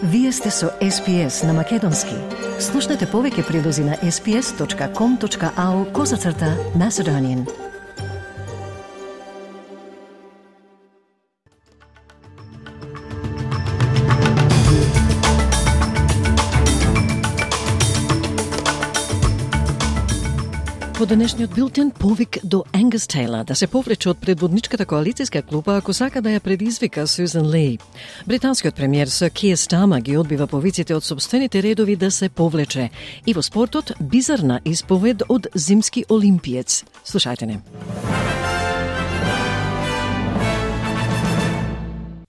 Вие сте со SPS на Македонски. Слушнете повеќе прилози на sps.com.au/Macedonian. По денешниот билтен повик до Ангус Тейлор да се повлече од предводничката коалицијска клупа ако сака да ја предизвика Сюзан Ли. Британскиот премиер Сир Кир Стармер ги одбива повиците од сопствените редови да се повлече. И во спортот бизарна исповед од зимски олимпиец. Слушајте не.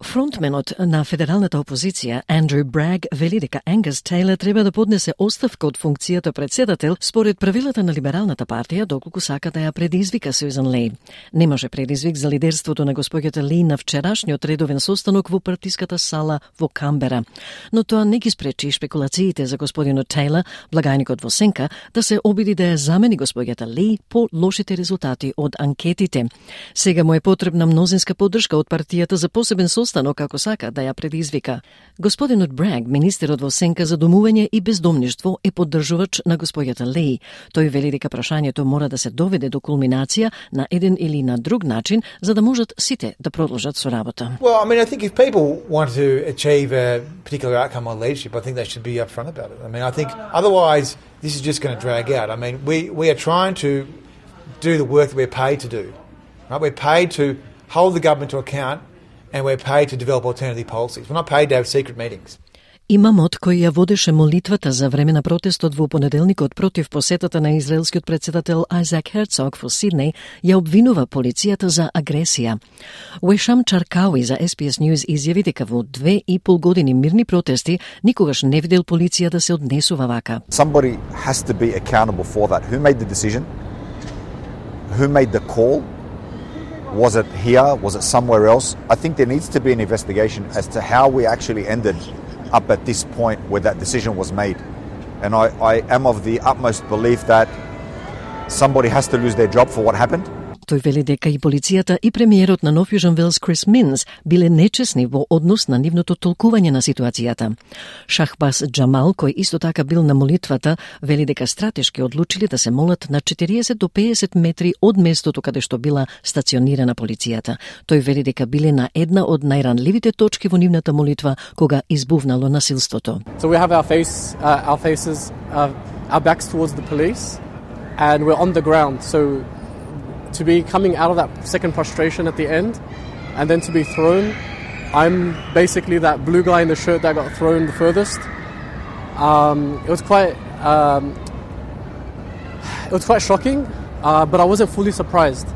Фронтменот на федералната опозиција, Андрю Браг, вели дека Ангус Тейлор треба да поднесе оставка од функцијата председател според правилата на Либералната партија, доколку сака да ја предизвика Сюзан Ли. Немаше предизвик за лидерството на госпоѓата Ли на вчерашниот редовен состанок во партиската сала во Камбера. Но тоа не ги спречи шпекулациите за господинот Тейлор, благајникот во сенка, да се обиди да ја замени госпоѓата Ли по лошите резултати од анкетите. Сега му е потребна мнозинска поддршка од партијата за посебен состанок како сака да ја предизвика. Господинот Браг, министерот во сенка за домување и бездомништво, е поддржувач на госпоѓата Ли. Тој вели дека прашањето мора да се доведе до кулминација на еден или на друг начин, за да можат сите да продолжат со работа. Well, I mean, I think if people want to achieve a particular outcome on leadership, I think they should be upfront about it. I mean, I think otherwise this is just going to drag out. I mean, we are trying to do the work that we're paid to do. Right? We're paid to hold the government to account, and we're paid to develop alternative policies. We're not paid to have secret meetings. Имамот кој ја водеше молитвата за време на протестот во понеделникот против посетата на израелскиот председател Айзек Херцог во Сиднеј ја обвинува полицијата за агресија. Уешам Чаркауи за SBS News изјави дека во 2,5 години мирни протести никогаш не видел полиција да се однесува вака. Somebody has to be accountable for that. Who made the decision? Who made the call? Was it here? Was it somewhere else? I think there needs to be an investigation as to how we actually ended up at this point where that decision was made. And I am of the utmost belief that somebody has to lose their job for what happened. Тој вели дека и полицијата и премиерот на Нов Јужен Велс Крис Минс биле нечесни во однос на нивното толкување на ситуацијата. Шахбаз Джамал, кој исто така бил на молитвата, вели дека стратешки одлучили да се молат на 40 до 50 метри од местото каде што била стационирана полицијата. Тој вели дека биле на една од најранливите точки во нивната молитва кога избувнало насилството. So we have our faces, our backs towards the police, and we're on the ground. So to be coming out of that second prostration at the end and then to be thrown, I'm basically that blue guy in the shirt that got thrown the furthest. It was quite shocking, but I wasn't fully surprised.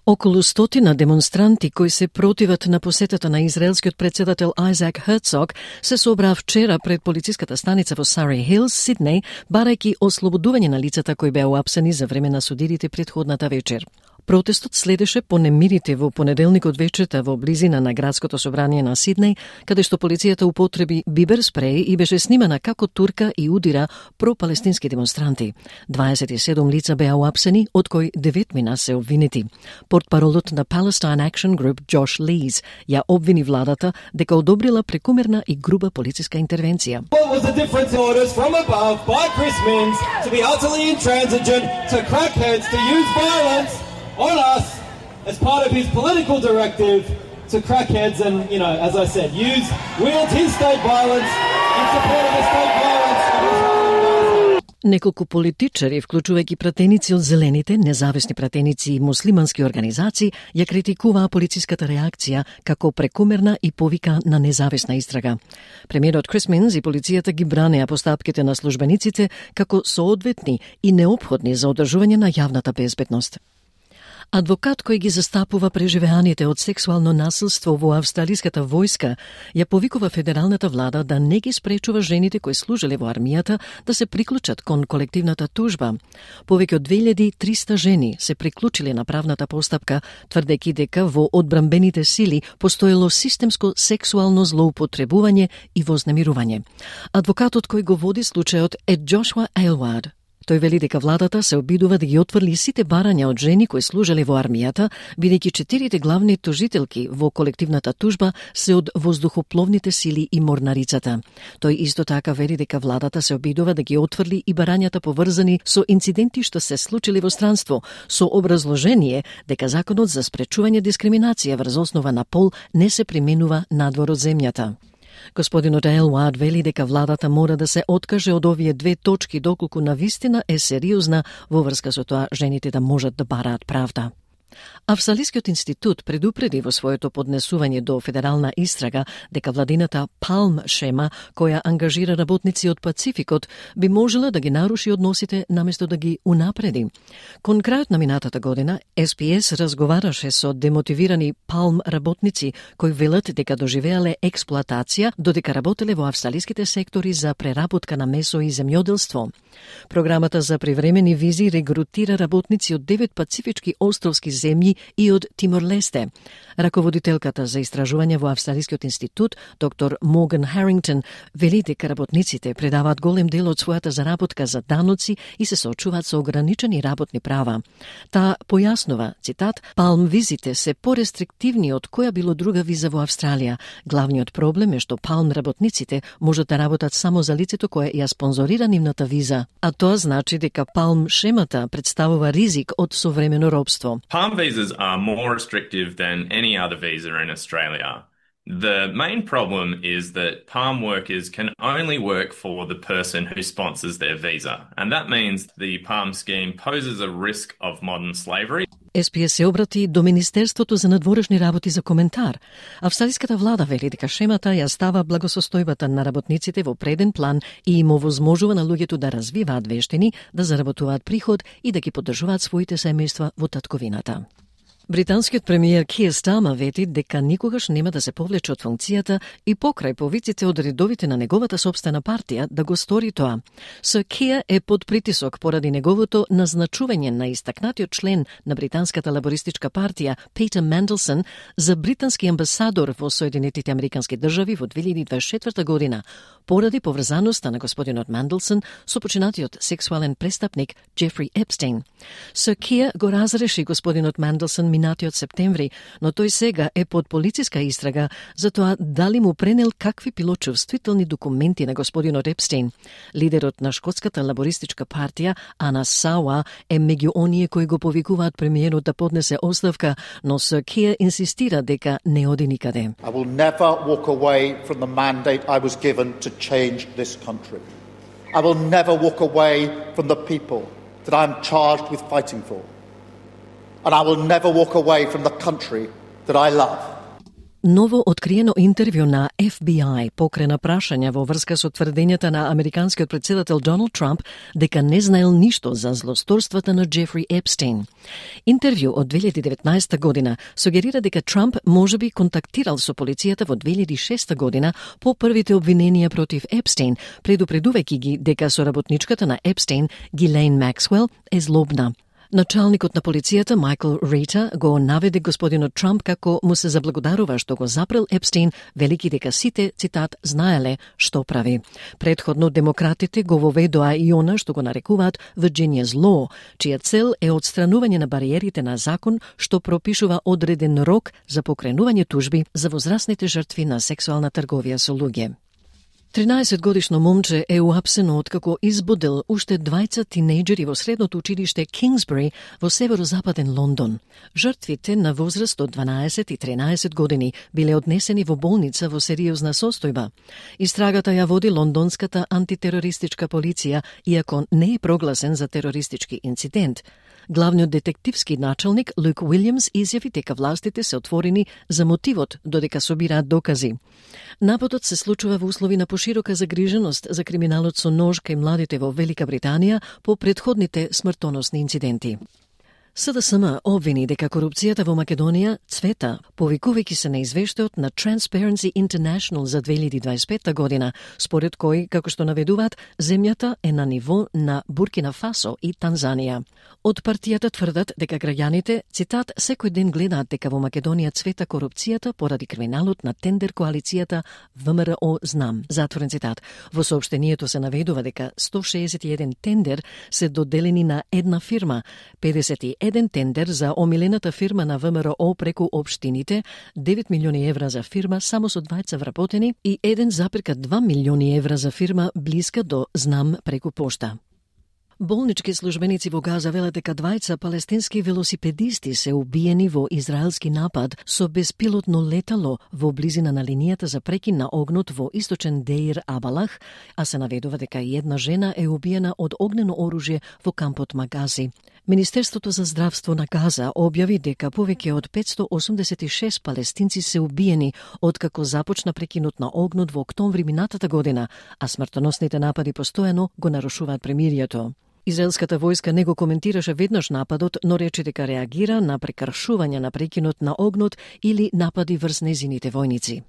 Околу 100 демонстранти кои се противат на посетата на израелскиот председател Айзек Херцог се собраа вчера пред полициската станица во Surrey Hills, Сиднеј, барајќи ослободување на лицата кои беа уапсени за време на судирите претходната вечер. Протестот следеше по немирите во понеделникот вечерта во близина на градското собрание на Сиднеј, каде што полицијата употреби бибер спреј и беше снимана како турка и удира пропалестински демонстранти. 27 лица беа уапсени, од кои 9 мина се обвинети. Портпаролот на Palestine Action Group Josh Lees ја обвини владата дека одобрила прекумерна и груба полициска интервенција. What was the difference in orders from above by Chris Minns to be utterly intransigent, to crackheads, to use violence on us as part of his political directive to crackheads and, you know, as I said, wield his state violence in support of the state violence of Israel. Неколку политичари, вклучувајќи пратеници од Зелените, независни пратеници и муслимански организации, ја критикуваа полициската реакција како прекумерна и повика на независна истрага. Премиерот Крис Минс и полицијата ги бранеа постапките на службениците како соодветни и неопходни за одржување на јавната безбедност. Адвокат кој ги застапува преживеаните од сексуално насилство во австралиската војска ја повикува федералната влада да не ги спречува жените кои служеле во армијата да се приклучат кон колективната тужба. Повеќе од 2300 жени се приклучиле на правната постапка, тврдејќи дека во одбранбените сили постоело системско сексуално злоупотребување и вознемирување. Адвокатот кој го води случајот е Джошуа Ейлвард. Тој вели дека владата се обидува да ги отфрли сите барања од жени кои служеле во армијата, бидејќи 4 главни тужителки во колективната тужба се од воздухопловните сили и морнарицата. Тој исто така вели дека владата се обидува да ги отфрли и барањата поврзани со инциденти што се случили во странство, со образложение дека законот за спречување дискриминација врз основа на пол не се применува надвор од земјата. Господинот Елвард вели дека владата мора да се откаже од овие 2 точки доколку навистина е сериозна во врска со тоа жените да можат да бараат правда. Австралискиот институт предупреди во своето поднесување до федерална истрага дека владината Palm шема, која ангажира работници од Пацификот, би можела да ги наруши односите наместо да ги унапреди. Кон крајот на минатата година, SPS разговараше со демотивирани Palm работници кои велат дека доживеале експлоатација додека работеле во австралиските сектори за преработка на месо и земјоделство. Програмата за привремени визи регрутира работници од 9 пацифички островски земји и од Тимор-Лесте. Раководителката за истражување во Австралискиот институт, доктор Морган Харингтон, вели дека работниците предаваат голем дел од својата заработка за даноци и се соочуваат со ограничени работни права. Таа појаснува, цитат, Palm визите се порестриктивни од која било друга виза во Австралија. Главниот проблем е што Palm работниците можат да работат само за лицето кое ја спонзорира нивната виза, а тоа значи дека Palm шемата представува ризик од современо робство. Palm visas are more restrictive than any other visa in Australia. The main problem is that Palm workers can only work for the person who sponsors their visa, and that means the Palm scheme poses a risk of modern slavery. SPS се обрати до Министерството за надворешни работи за коментар. Австралиската влада вели дека шемата ја става благосостојбата на работниците во преден план и им овозможува на луѓето да развиваат вештини, да заработуваат приход и да ги поддржуваат своите семејства во татковината. Британскиот премиер Кир Стармер вети дека никогаш нема да се повлече од функцијата и покрај повиците од редовите на неговата сопствена партија да го стори тоа. Сир Кир е под притисок поради неговото назначување на истакнатиот член на британската лабористичка партија Питер Менделсон за британски амбасадор во Соединетите Американски држави во 2024 година, поради поврзаноста на господинот Менделсон со починатиот сексуален престапник Джефри Епстейн. Сир Кир го разреши господинот Менделсон минатиот септември, но тој сега е под полициска истрага за тоа дали му пренел какви пилочувствителни документи на господинот Епстейн. Лидерот на шкотската лабористичка партија, Ана Сауа, е меѓу оние кои го повикуваат премиерот да поднесе оставка, но Сир Кир инсистира дека не оди никаде. I will never walk away from the mandate I was given to change this country. I will never walk away from the people that I am charged with fighting for. And I will never walk away from the country that I love. Ново откриено интервју на FBI покрена прашања во врска со тврдењата на американскиот претседател Доналд Трамп дека не знаел ништо за злосторствата на Джефри Епстейн. Интервју од 2019 година сугерира дека Трамп можеби контактирал со полицијата во 2006 година по првите обвиненија против Епстейн, предупредувајќи ги дека соработничката на Епстейн, Гилейн Максвел, е злобна. Началникот на полицијата Майкл Рита го наведе господинот Трамп како му се заблагодарува што го запрел Епстейн, велики дека сите, цитат, знаеле што прави. Предходно демократите го воведоа и она што го нарекуваат Virginia's Law, чија цел е одстранување на бариерите на закон што пропишува одреден рок за покренување тужби за возрастните жртви на сексуална трговија со луѓе. 13-годишно момче е уапсено откако избудел уште 20 тинејџери во средното училиште Кингсбери во северозападен Лондон. Жртвите на возраст од 12 и 13 години биле однесени во болница во сериозна состојба. Истрагата ја води лондонската антитерористичка полиција, иако не е прогласен за терористички инцидент. Главниот детективски началник Люк Уилјамс изјави дека властите се отворени за мотивот додека собираат докази. Нападот се случува во услови на поширока загриженост за криминалот со нож кај младите во Велика Британија по претходните смртоносни инциденти. СДСМ обвини дека корупцијата во Македонија цвета, повикувајќи се на извештајот на Transparency International за 2025 година, според кој, како што наведуваат, земјата е на ниво на Буркина Фасо и Танзанија. Од партијата тврдат дека граѓаните, цитат, секој ден гледаат дека во Македонија цвета корупцијата поради криминалот на тендер коалицијата ВМРО Знам. Затворен цитат. Во соопштението се наведува дека 161 тендер се доделени на една фирма, 51 тендер за омилената фирма на ВМРО преку општините, 9 милиони евра за фирма само со двајца вработени и 1,2 милиони евра за фирма блиска до Знам преку пошта. Болнички службеници во Газа велат дека двајца палестински велосипедисти се убиени во израелски напад со беспилотно летало во близина на линијата за прекин на огнот во источен Деир Абалах, а се наведува дека и една жена е убиена од огнено оружје во кампот Магази. Министерството за здравство на Газа објави дека повеќе од 586 палестинци се убиени откако започна прекинот на огнот во октомври минатата година, а смртоносните напади постојано го нарушуваат премирието. Израелската војска не го коментираше веднаш нападот, но рече дека реагира на прекршување на прекинот на огнот или напади врз незините војници.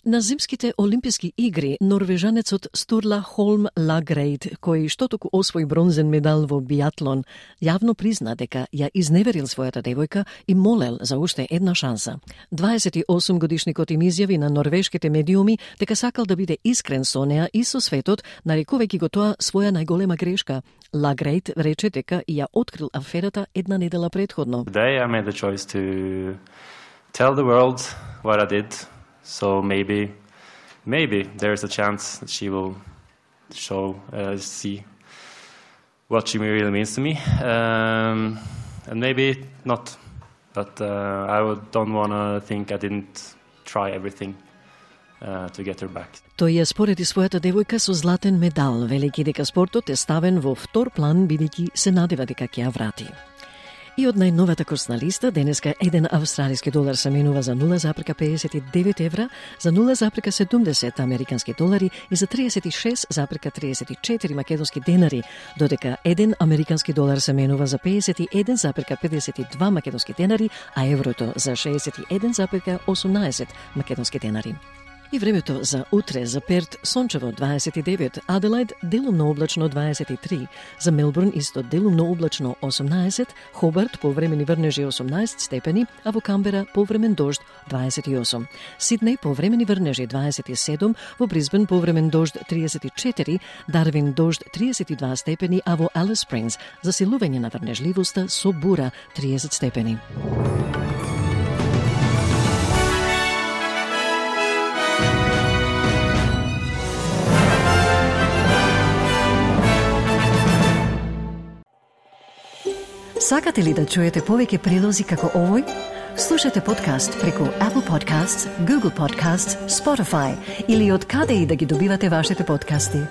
На зимските олимписки игри норвежанецот Стурла Холм Лагрейд, кој штотоку освои бронзен медал во биатлон, јавно призна дека ја изневерил својата девојка и молел за уште една шанса. 28 годишникот им изјави на норвешките медиуми дека сакал да биде искрен со неа и со светот, нарекувајќи го тоа своја најголема грешка. Лагрейд рече дека ја открил аферата една недела предходно. Today I made the choice to tell the world what I did. So maybe there's a chance that she will see what she really means to me, and maybe not. But I don't want to think I didn't try everything to get her back. Тој ја спореди својата девојка со златен медал, велики дека спортот е ставен во втор план бидејќи се надева дека ќе ја врати. И од најновата курсна листа, денеска 1 австралиски долар се менува за 0,59 евра, за 0,70 американски долари и за 36,34 македонски денари, додека 1 американски долар се менува за 51,52 македонски денари, а еврото за 61,18 македонски денари. И времето за утре: за Перт сончево 29, Аделајд делумно облачно 23, за Мелбурн исто делумно облачно 18, Хобарт повремени врнежи 18 степени, а во Камбера повремен дожд 28. Сиднеј повремени врнежи 27, во Брисбен повремен дожд 34, Дарвин дожд 32 степени, а во Алис Спрингс засилување на врнежливоста со бура 30 степени. Сакате ли да чуете повеќе прилози како овој? Слушате подкаст преку Apple Podcasts, Google Podcasts, Spotify или од каде и да ги добивате вашите подкасти.